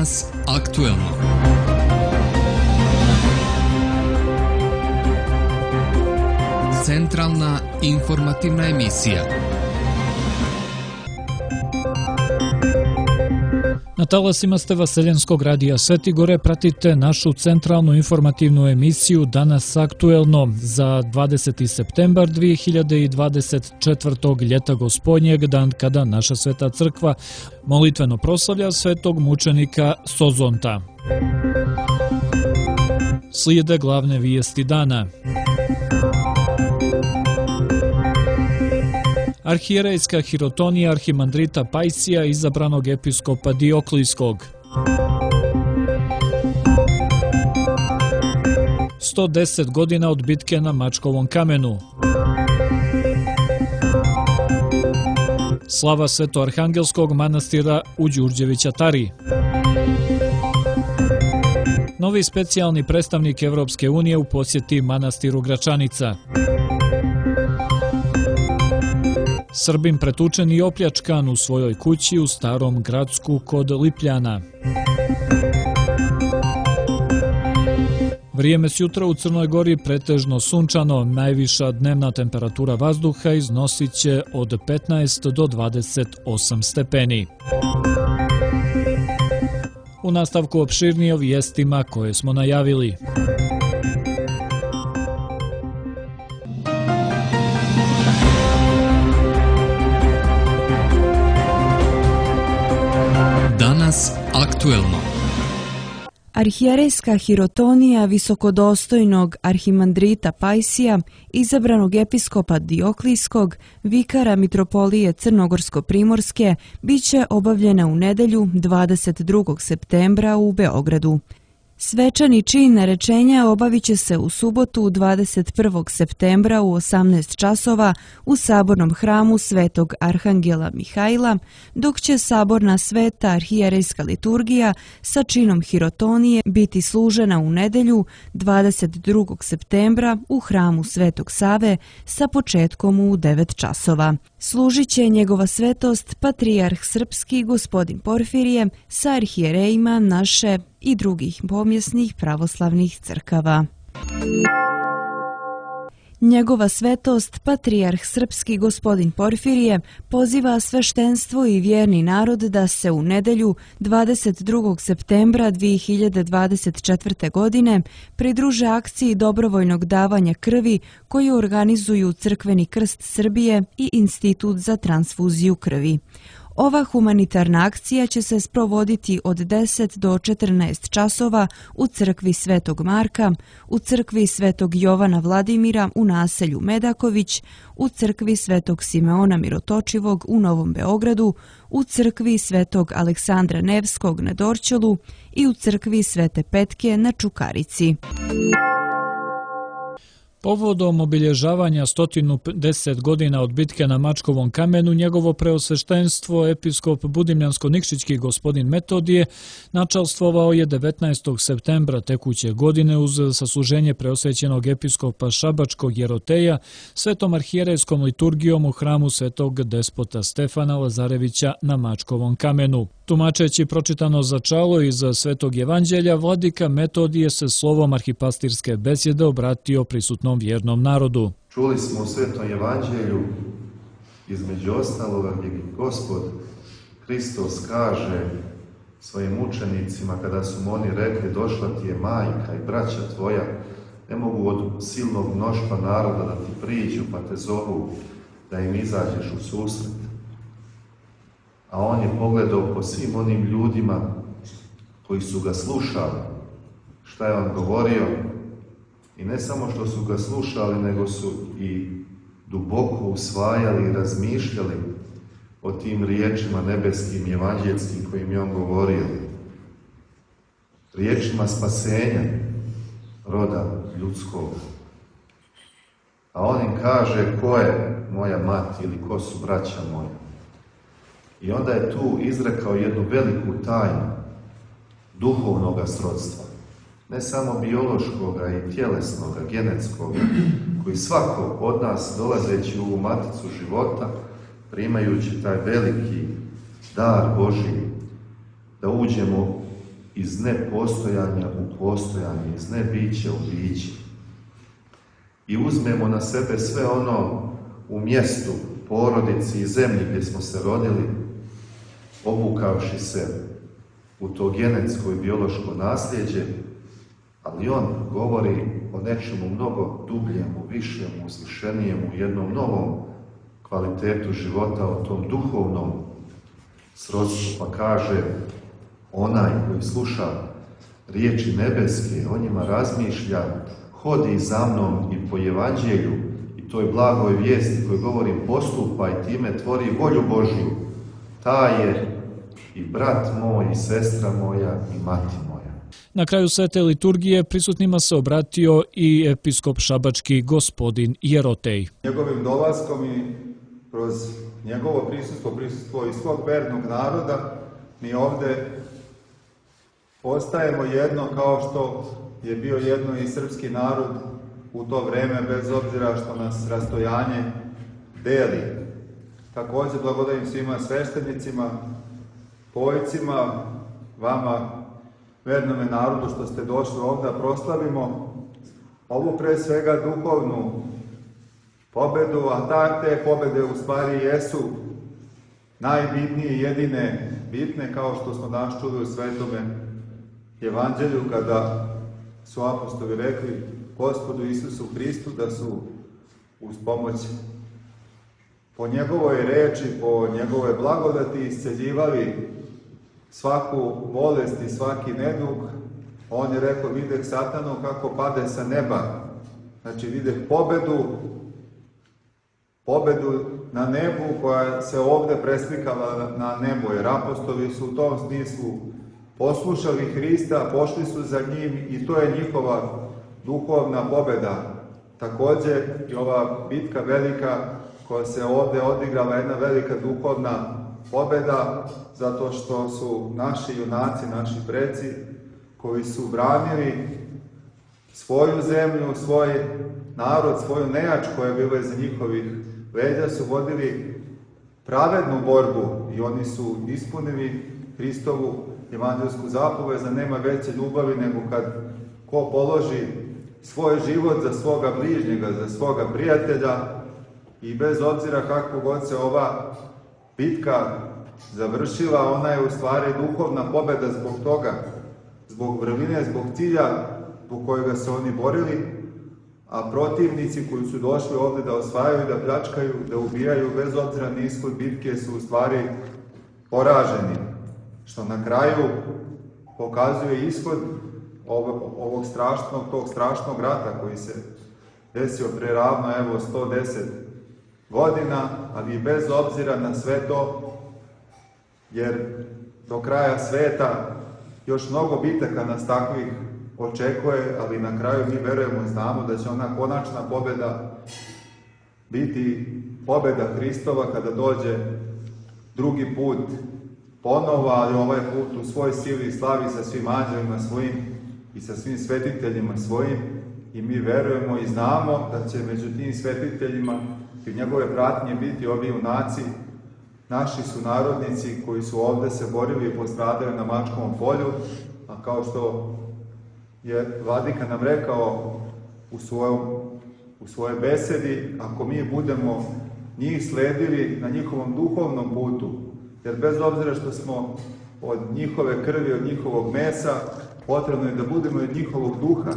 Danas aktuelno. Centralna informativna emisija. Na talasima ste Vaseljenskog radija Sveti Gore, pratite našu centralnu informativnu emisiju Danas aktuelno za 20. septembar 2024. ljeta gospodnjeg, dan kada naša Sveta crkva molitveno proslavlja svetog mučenika Sozonta. Slijede glavne vijesti dana. Arhijerejska hirotonija arhimandrita Pajsija, izabranog episkopa Dioklijskog. 110 godina od bitke na Mačkovom kamenu. Slava Svetoarhangelskog manastira u Đurđevića Tari. Novi specijalni predstavnik Evropske unije u posjeti manastiru Gračanica. Srbin pretučen i opljačkan u svojoj kući u Starom Gracku kod Lipljana. Vrijeme sjutra u Crnoj Gori pretežno sunčano, najviša dnevna temperatura vazduha iznosit će od 15 do 28 stepeni. U nastavku opširnije o vijestima koje smo najavili. Danas aktuelno. Arhijerejska hirotonija visokodostojnog arhimandrita Pajsija, izabranog episkopa Dioklijskog, vikara mitropolije Crnogorsko-primorske, bit će obavljena u nedelju 22. septembra u Beogradu. Svečani čin narečenja obavit će se u subotu 21. septembra u 18 časova u sabornom hramu Svetog Arhangela Mihajla, dok će saborna sveta arhijerejska liturgija sa činom hirotonije biti služena u nedelju 22. septembra u hramu Svetog Save sa početkom u 9 časova. Služit će njegova svetost patrijarh srpski gospodin Porfirije sa arhijerejima naše i drugih pomjesnih pravoslavnih crkava. Njegova svetost, patrijarh srpski gospodin Porfirije, poziva sveštenstvo i vjerni narod da se u nedelju 22. septembra 2024. godine pridruže akciji dobrovoljnog davanja krvi koju organizuju Crkveni krst Srbije i Institut za transfuziju krvi. Ova humanitarna akcija će se sprovoditi od 10 do 14 časova u crkvi Svetog Marka, u crkvi Svetog Jovana Vladimira u naselju Medaković, u crkvi Svetog Simeona Mirotočivog u Novom Beogradu, u crkvi Svetog Aleksandra Nevskog na Dorćolu i u crkvi Svete Petke na Čukarici. Povodom obilježavanja 110 godina od bitke na Mačkovom kamenu, njegovo preosveštenstvo, episkop Budimljansko-Nikšićki gospodin Metodije, načalstvovao je 19. septembra tekuće godine uz sasluženje preosvećenog episkopa Šabačkog Jeroteja svetom arhijerejskom liturgijom u hramu svetog despota Stefana Lazarevića na Mačkovom kamenu. Tumačeći pročitano začalo iz Svetog evanđelja, vladika Metodije se slovom arhipastirske besjede obratio prisutnom vjernom narodu. Čuli smo u Svetom evanđelju, između ostaloga, gdje Gospod Hristos kaže svojim učenicima kada su mu oni rekli: došla ti je majka i braća tvoja, ne mogu od silnog mnoštva naroda da ti priđu pa te zovu da im izađeš u susret. A on je pogledao po svim onim ljudima koji su ga slušali, šta je on govorio, i ne samo što su ga slušali, nego su i duboko usvajali i razmišljali o tim riječima nebeskim i evanđelskim kojim je on govorio. Riječima spasenja roda ljudskog. A on im kaže: ko je moja mati ili ko su braća moja? I onda je tu izrekao jednu veliku tajnu duhovnoga srodstva. Ne samo biološkoga i tjelesnoga, genetskoga, koji svako od nas, dolazeći u ovu maticu života, primajući taj veliki dar Božji, da uđemo iz nepostojanja u postojanje, iz nebića u biće. I uzmemo na sebe sve ono u mjestu, porodici i zemlji gdje smo se rodili, obukavši se u to genetsko i biološko nasljeđe, ali on govori o nečemu mnogo dubljemu, višemu, uzvišenijemu, jednom novom kvalitetu života, o tom duhovnom srodstvu, pa kaže: onaj koji sluša riječi nebeske, o njima razmišlja, hodi za mnom i po evanđelju i toj blagoj vijesti koju govorim, postupa i time tvori volju Božju, taj je i brat moj i sestra moja i mati moja. Na kraju svete liturgije prisutnima se obratio i episkop šabački gospodin Jerotej. Njegovim dolaskom i kroz njegovo prisustvo i svog vernog naroda, mi ovdje postajemo jedno, kao što je bio jedno i srpski narod u to vreme, bez obzira što nas rastojanje deli. Također blagodarim svima sveštenicima, pojcima, vama, vernome narodu, što ste došli ovdje, proslavimo ovu pre svega duhovnu pobedu, a te pobede u stvari jesu najbitnije, jedine bitne, kao što smo danas čuli u Svetome Evanđelju, kada su apostoli rekli Gospodu Isusu Hristu da su uz pomoć po njegovoj reči, po njegove blagodati isceljivali svaku bolest i svaki nedug. On je rekao: videh satanu kako pade sa neba. Znači videh pobedu na nebu, koja se ovdje preslikala na nebo, jer apostoli su u tom smislu poslušali Hrista, pošli su za njim i to je njihova duhovna pobeda. Također i ova bitka velika koja se ovdje odigrala, jedna velika duhovna pobeda, zato što su naši junaci, naši preci, koji su branili svoju zemlju, svoj narod, svoju nejač koja je bila iza njihovih leđa, su vodili pravednu borbu i oni su ispunili Hristovu evanđelsku zapovest da nema veće ljubavi nego kad ko položi svoj život za svoga bližnjega, za svoga prijatelja, i bez obzira kako god se ova bitka završila, ona je u stvari duhovna pobjeda zbog toga, zbog vrline, zbog cilja zbog kojega se oni borili, a protivnici koji su došli ovdje da osvajaju, da pljačkaju, da ubijaju, bez obzira na ishod bitke, su u stvari poraženi. Što na kraju pokazuje ishod ovog strašnog rata koji se desio pre ravno 110 godina, ali i bez obzira na sve to, jer do kraja sveta još mnogo bitaka nas takvih očekuje, ali na kraju mi verujemo i znamo da će ona konačna pobjeda biti pobjeda Hristova kada dođe drugi put ponovo, ali ovaj put u svoj sili i slavi sa svim anđelima svojim i sa svim svetiteljima svojim, i mi verujemo i znamo da će među tim svetiteljima i njegove pratnje biti ovi junaci, naši sunarodnici koji su ovdje se borili i postradali na Mačkovom polju, a kao što je Vladika nam rekao u svojoj besedi, ako mi budemo njih sledili na njihovom duhovnom putu, jer bez obzira što smo od njihove krvi, od njihovog mesa, potrebno je da budemo od njihovog duha,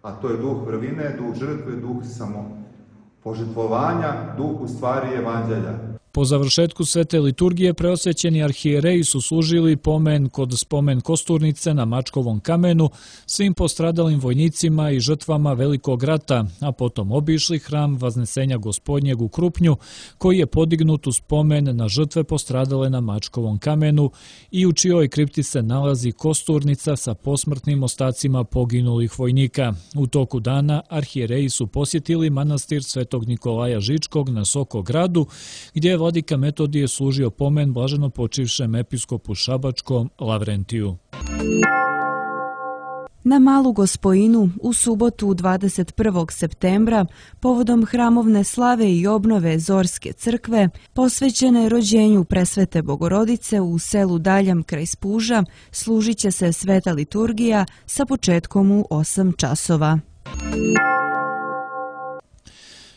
a to je duh vrline, duh žrtve, duh samopožrtvovanja, duh u stvari evanđelja. Po završetku svete liturgije preosvećeni arhijereji su služili pomen kod spomen kosturnice na Mačkovom kamenu svim postradalim vojnicima i žrtvama Velikog rata, a potom obišli hram Vaznesenja Gospodnjeg u Krupnju, koji je podignut u spomen na žrtve postradale na Mačkovom kamenu i u čijoj kripti se nalazi kosturnica sa posmrtnim ostacima poginulih vojnika. U toku dana arhijereji su posjetili manastir Svetog Nikolaja Žičkog na Sokogradu, gdje je Vladika Metodije služio pomen blaženo počivšem episkopu šabačkom Lavrentiju. Na Malu Gospojinu u subotu 21. septembra povodom hramovne slave i obnove Zorske crkve posvećene rođenju Presvete Bogorodice u selu Daljam kraj Spuža služit će se sveta liturgija sa početkom u 8 časova.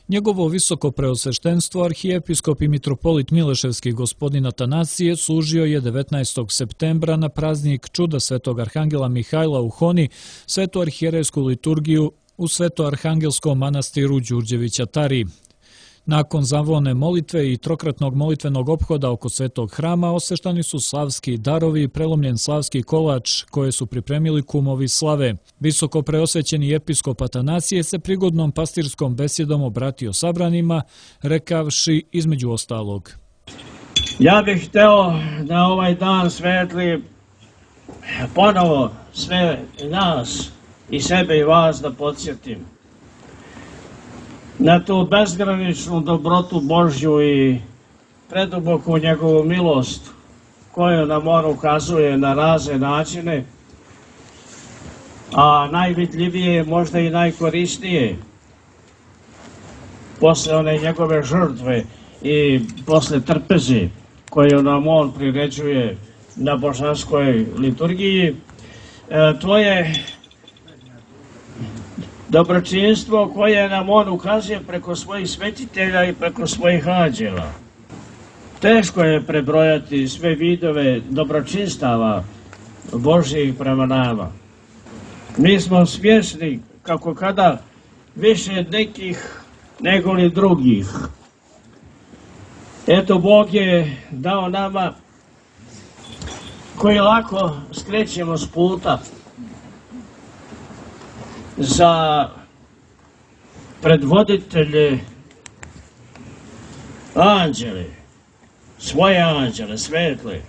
Njegovo visoko preosveštenstvo arhijepiskop i mitropolit Mileševski gospodin Atanasije služio je 19. septembra na praznik Čuda Svetog Arhangela Mihajla u Honi svetu arhijerejsku liturgiju u Svetoarhangelskom manastiru Đurđevića Tari. Nakon zavone molitve i trokratnog molitvenog ophoda oko svetog hrama osveštani su slavski darovi i prelomljen slavski kolač koje su pripremili kumovi slave. Visoko preosvećeni episkop Atanasije se prigodnom pastirskom besjedom obratio sabranima, rekavši između ostalog: Ja bih hteo da ovaj dan svetli ponovo sve nas i sebe i vas da podsjetim na tu bezgraničnu dobrotu Božju i preduboku njegovu milost koju nam on ukazuje na razne načine, a najvidljivije, možda i najkorisnije, posle one njegove žrtve i posle trpeze koju nam on priređuje na božanskoj liturgiji, to je dobročinstvo koje nam on ukazuje preko svojih svetitelja i preko svojih anđela. Teško je prebrojati sve vidove dobročinstava Božjih prema nama. Mi smo svjesni kako kada više nekih nego li drugih. Eto, Bog je dao nama koji lako skrećemo s puta za predvoditelje anđele, svoje anđele, svetle.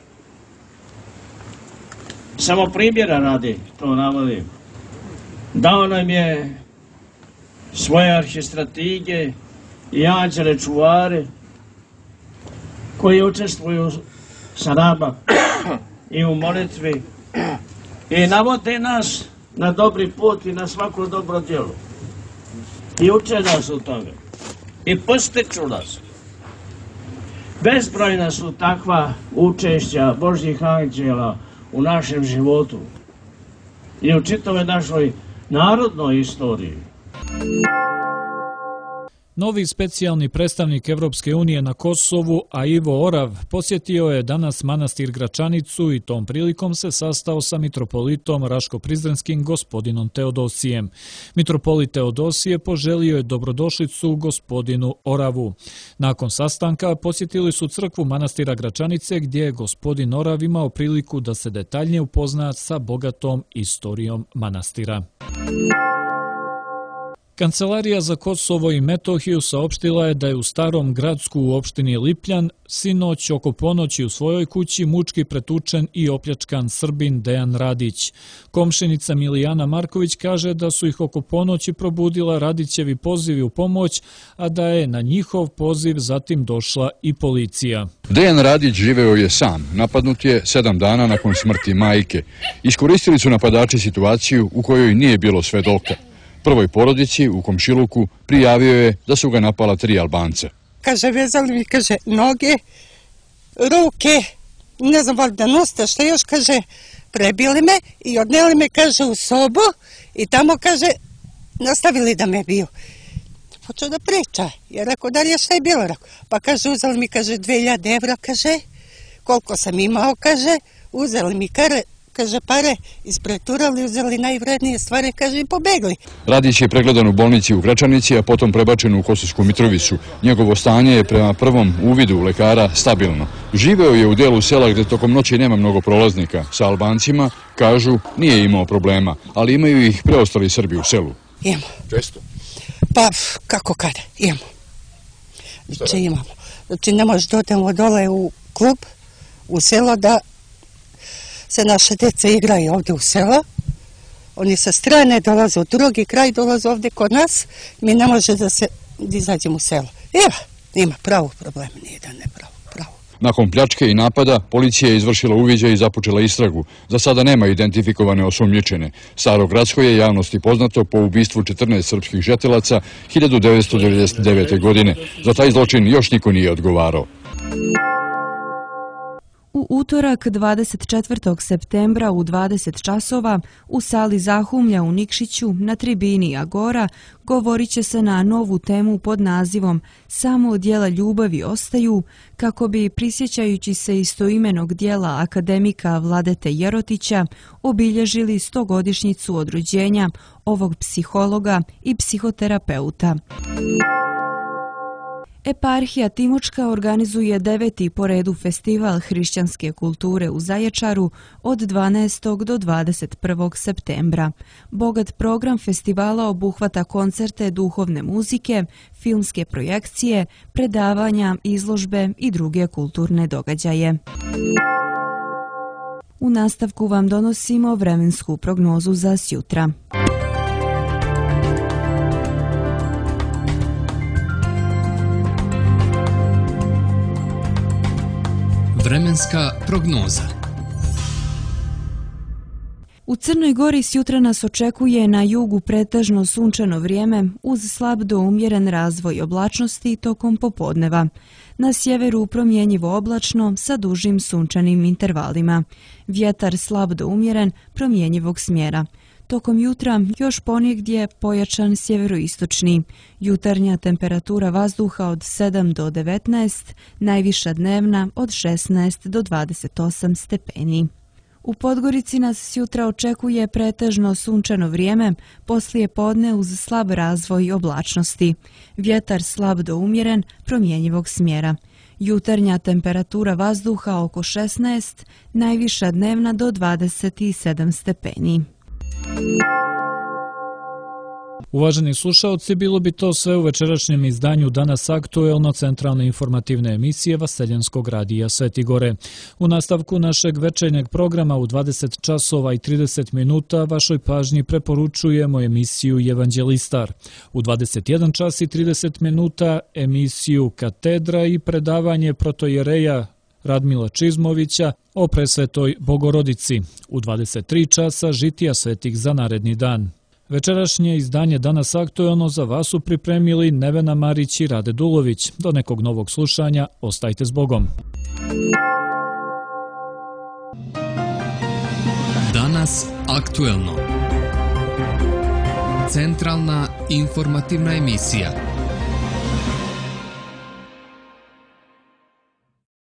Samo primjera radi to navodim. Dao nam je svoje arhistratige i anđele čuvare koji učestvuju sa nama i u molitvi i navode nas na dobri put i na svako dobro djelo. I uče nas u tome. I postiču nas. Bezbrojna su takva učešća Božjih anđela u našem životu i u čitavoj našoj narodnoj istoriji. Novi specijalni predstavnik Evropske unije na Kosovu, a Ivo Orav, posjetio je danas manastir Gračanicu i tom prilikom se sastao sa mitropolitom Raško-Prizrenskim gospodinom Teodosijem. Mitropolit Teodosije poželio je dobrodošlicu gospodinu Oravu. Nakon sastanka posjetili su crkvu manastira Gračanice gdje je gospodin Orav imao priliku da se detaljnije upozna sa bogatom istorijom manastira. Kancelarija za Kosovo i Metohiju saopštila je da je u Starom Gradsku u opštini Lipljan sinoć oko ponoći u svojoj kući mučki pretučen i opljačkan Srbin Dejan Radić. Komšinica Milijana Marković kaže da su ih oko ponoći probudila Radićevi pozivi u pomoć, a da je na njihov poziv zatim došla i policija. Dejan Radić živeo je sam. Napadnut je 7 dana nakon smrti majke. Iskoristili su napadači situaciju u kojoj nije bilo svedoka. Prvoj porodici u komšiluku prijavio je da su ga napala 3 Albanca. Kaže, vezali mi, kaže, noge, ruke, ne znam, valjda nosta, što još, kaže, prebili me i odneli me, kaže, u sobu i tamo, kaže, nastavili da me biju. Počeo da priča, jer rekao, da li je šta je bilo? Pa kaže, uzeli mi, kaže, 2000 evra, kaže, koliko sam imao, kaže, uzeli mi kaže, pare, ispreturali, uzeli najvrednije stvari, kaže, i pobegli. Radić je pregledan u bolnici u Gračanici, a potom prebačen u Kosovsku Mitrovicu. Njegovo stanje je prema prvom uvidu lekara stabilno. Živeo je u dijelu sela gdje tokom noći nema mnogo prolaznika. Sa Albancima, kažu, nije imao problema, ali imaju ih preostali Srbi u selu. Imamo. Često? Pa, kako kada, imamo. Znači, imamo. Znači, ne možeš da odemo dole u klub, u selo, da se naše djeca igraju ovdje u selo. Oni sa strane dolaze u drugi kraj, dolaze ovdje kod nas. Mi ne može da izađemo u selo. Ima pravo problema, nije da ne pravo. Nakon pljačke i napada, policija je izvršila uviđaj i započela istragu. Za sada nema identifikovane osumnjičene. Starogradsko je javnosti poznato po ubistvu 14 srpskih žetelaca 1999. godine. Za taj zločin još niko nije odgovarao. U utorak 24. septembra u 20 časova u sali Zahumlja u Nikšiću na tribini Agora govorit će se na novu temu pod nazivom Samo djela ljubavi ostaju, kako bi, prisjećajući se istoimenog djela akademika Vladete Jerotića, obilježili 100-godišnjicu od rođenja ovog psihologa i psihoterapeuta. Eparhija Timočka organizuje 9. po redu festival hrišćanske kulture u Zaječaru od 12. do 21. septembra. Bogat program festivala obuhvata koncerte duhovne muzike, filmske projekcije, predavanja, izložbe i druge kulturne događaje. U nastavku vam donosimo vremensku prognozu za sjutra. Vremenska prognoza. U Crnoj Gori sjutra nas očekuje na jugu pretežno sunčano vrijeme uz slab do umjeren razvoj oblačnosti tokom popodneva. Na sjeveru promjenjivo oblačno sa dužim sunčanim intervalima. Vjetar slab do umjeren promjenjivog smjera. Tokom jutra još ponegdje pojačan sjeveroistočni. Jutarnja temperatura vazduha od 7 do 19, najviša dnevna od 16 do 28 stepeni. U Podgorici nas sjutra očekuje pretežno sunčano vrijeme, poslije podne uz slab razvoj oblačnosti. Vjetar slab do umjeren, promjenjivog smjera. Jutarnja temperatura vazduha oko 16, najviša dnevna do 27 stepeni. Uvaženi slušaoci, bilo bi to sve u večerašnjem izdanju Danas aktuelno centralne informativne emisije Vaseljenskog radija Sveti Gore. U nastavku našeg večernjeg programa u 20 časova i 30 minuta vašoj pažnji preporučujemo emisiju Evanđelistar. U 21 čas i 30 minuta emisiju Katedra i predavanje protojereja Radmila Čizmovića o presvetoj Bogorodici. U 23 časa žitija svetih za naredni dan. Večerašnje izdanje Danas aktuelno za vas su pripremili Nevena Marić i Rade Dulović. Do nekog novog slušanja, ostajte s Bogom. Danas aktuelno. Centralna informativna emisija.